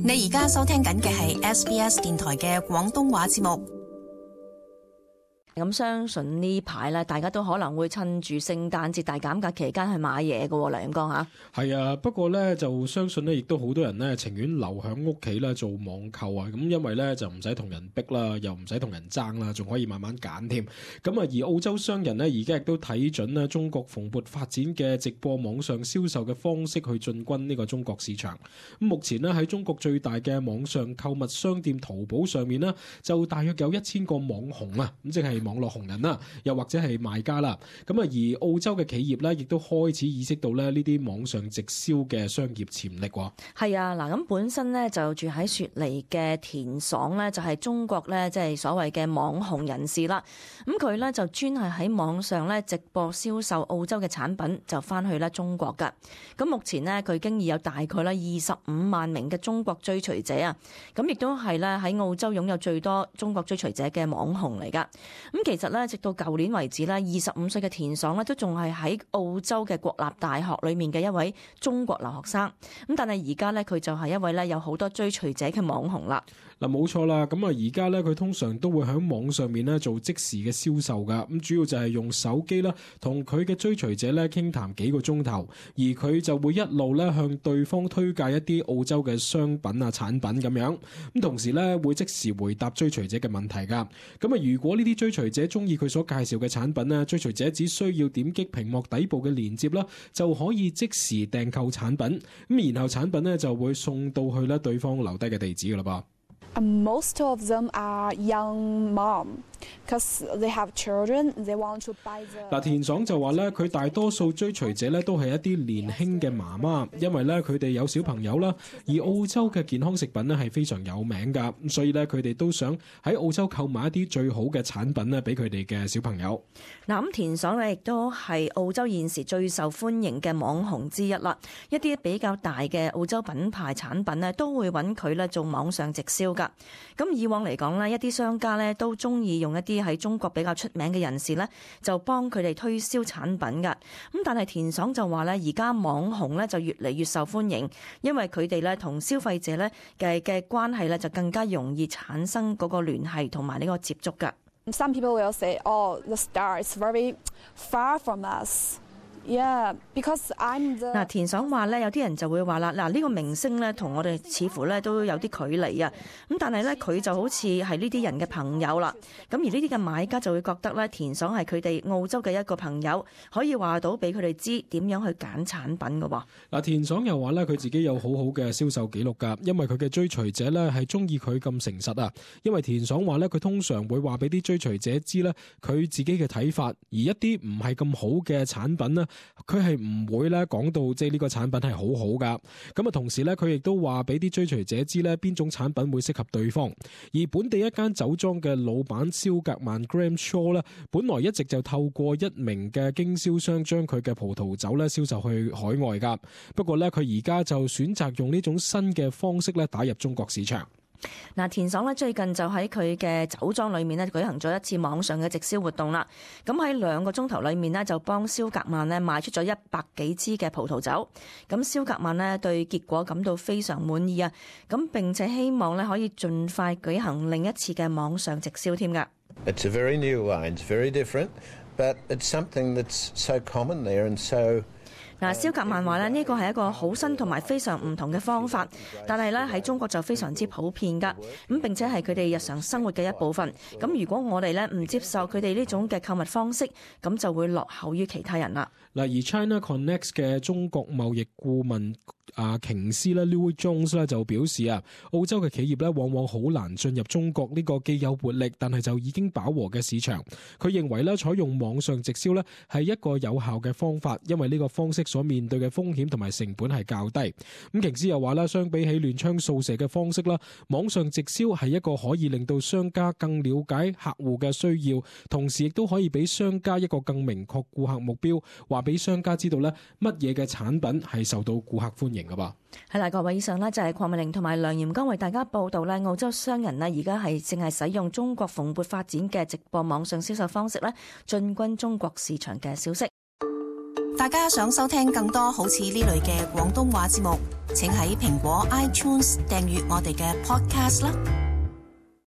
你而家收聽緊嘅係 SBS 電台嘅廣東話節目。咁相信呢排咧，大家都可能會趁住聖誕節大減價期間去買嘢嘅，梁永江嚇。係啊，不過咧就相信咧，亦都好多人咧情願留喺屋企咧做網購啊。咁因為咧就唔使同人逼啦，又唔使同人爭啦，仲可以慢慢揀添。咁啊，而澳洲商人咧而家亦都睇準咧中國蓬勃發展嘅直播網上銷售嘅方式去進軍呢個中國市場。咁目前咧喺中國最大嘅網上購物商店淘寶上面呢，就大約有1000個網紅啊，咁即係網絡紅人啦，又或者係賣家啦。咁啊，而澳洲嘅企業咧，亦都開始意識到咧呢啲網上直銷嘅商業潛力。係啊，嗱，咁本身咧就住喺雪梨嘅田爽咧，就係中國咧即係所謂嘅網紅人士啦。咁佢咧就專係喺網上咧直播銷售澳洲嘅產品，就翻去咧中國噶。咁目前呢，佢經已有大概咧25萬名嘅中國追隨者啊。咁亦都係咧喺澳洲擁有最多中國追隨者嘅網紅嚟噶。咁其實咧，直到舊年為止咧，25歲嘅田爽咧都仲係喺澳洲嘅國立大學裏面嘅一位中國留學生。咁但係而家咧，佢就係一位咧有好多追隨者嘅網紅啦。嗱，冇錯啦。咁啊，而家咧佢通常都會喺網上面咧做即時嘅銷售噶。咁主要就係用手機啦，同佢嘅追隨者咧傾談幾個鐘頭，而佢就會一路咧向對方推介一啲澳洲嘅商品啊產品咁樣。咁同時咧會即時回答追隨者嘅問題噶。咁啊，如果呢啲追隨者中意佢所介紹嘅產品咧，追隨者只需要點擊屏幕底部嘅連結啦，就可以即時訂購產品。咁然後產品咧就會送到去咧對方留低嘅地址噶啦噃。Most of them are young mom, because they have children. They want to buy the. 田爽就話咧，佢大多數追隨者咧都係一啲年輕嘅媽媽，因為咧佢哋有小朋友啦，而澳洲嘅健康食品咧係非常有名噶，所以咧佢哋都想喺澳洲購買一啲最好嘅產品咧俾佢哋嘅小朋友。嗱，咁田爽咧亦都係澳洲現時最受歡迎嘅網紅之一啦。一啲比較大嘅澳洲品牌產品咧都會揾佢咧做網上直銷。咁以往嚟講呢，一啲商家呢都中意用一啲喺中國比較出名嘅人士呢，就幫佢哋推銷產品噶。咁但係田爽就話呢，而家網紅呢就越嚟越受歡迎，因為佢哋呢同消費者呢嘅關係呢就更加容易產生嗰個聯繫同埋呢個接觸噶。Some people will say, "Oh, the star is very far from us." Yeah, because I'm the. 田爽話咧，有啲人就會話啦，呢個明星咧同我哋似乎咧都有啲距離啊。咁但係咧佢就好似係呢啲人嘅朋友啦。咁而呢啲嘅買家就會覺得咧，田爽係佢哋澳洲嘅一個朋友，可以話到俾佢哋知點樣去揀產品㗎喎。田爽又話咧，佢自己有好好嘅銷售記錄㗎，因為佢嘅追隨者咧係中意佢咁誠實啊。因為田爽話咧，佢通常會話俾啲追隨者知咧佢自己嘅睇法，而一啲唔係咁好嘅產品呢，佢係唔會咧講到即係呢個產品係好好噶。咁啊，同時咧佢亦都話俾啲追隨者知咧邊種產品會適合對方。而本地一間酒莊嘅老闆蕭格曼 Graham Shaw 咧，本來一直就透過一名嘅經銷商將佢嘅葡萄酒咧銷售去海外噶。不過咧佢而家就選擇用呢種新嘅方式咧打入中國市場。田爽咧最近就喺佢嘅酒莊裏面咧舉行咗一次網上嘅直銷活動啦。咁喺2個鐘頭裏面咧就幫蕭格曼咧賣出咗100幾支嘅葡萄酒。咁蕭格曼咧對結果感到非常滿意啊。咁並且希望咧可以盡快舉行另一次嘅網上直銷添㗎。It's a very new wine, it's very different, but it's something that's so common there and so。蕭格曼話咧呢個係一個好新同埋非常唔同嘅方法，但係咧喺中國就非常之普遍噶，咁並且係佢哋日常生活嘅一部分。咁如果我哋咧唔接受佢哋呢種嘅購物方式，咁就會落後於其他人啦。而 China Connect 嘅中國貿易顧問瓊斯咧 Louis Jones 咧就表示啊，澳洲嘅企業咧往往好難進入中國呢個既有活力但係就已經飽和嘅市場。佢認為咧採用網上直銷咧係一個有效嘅方法，因為呢個方式所面對嘅風險同埋成本係較低。咁瓊斯又話啦，相比起亂槍掃射嘅方式啦，網上直銷係一個可以令到商家更了解客戶嘅需要，同時亦都可以俾商家一個更明確顧客目標，話俾商家知道咧乜嘢嘅產品係受到顧客歡迎噶噃。係啦，各位，以上呢就係鄺美玲同埋梁炎剛為大家報道咧，澳洲商人呢而家係正係使用中國蓬勃發展嘅直播網上銷售方式咧，進軍中國市場嘅消息。大家想收聽更多好似呢類嘅廣東話節目，請喺蘋果 iTunes 訂閱我哋嘅 podcast 啦。